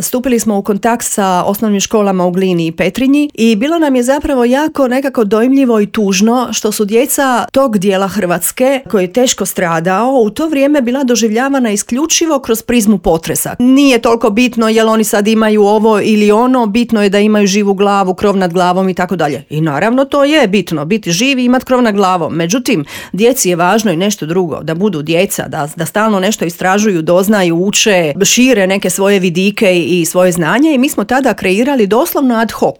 stupili smo u kontakt sa osnovnim školama u Glini i Petrinji i bilo nam je zapravo jako nekako dojmljivo i tužno što su djeca tog dijela Hrvatske koji je teško stradao u to vrijeme bila doživljavana isključivo kroz prizmu potresa. Nije toliko bitno jel oni sad imaju ovo ili ono, bitno je da imaju živu glavu, krov nad glavom i tako dalje. I naravno to je bitno, biti živ i imati krov nad glavom. Međutim, djeci je važno i nešto drugo, da budu djeca, da stalno nešto istražuju, doznaju, uče, šire neke svoje vidike i svoje znanje i mi smo tada kreirali doslovno ad hoc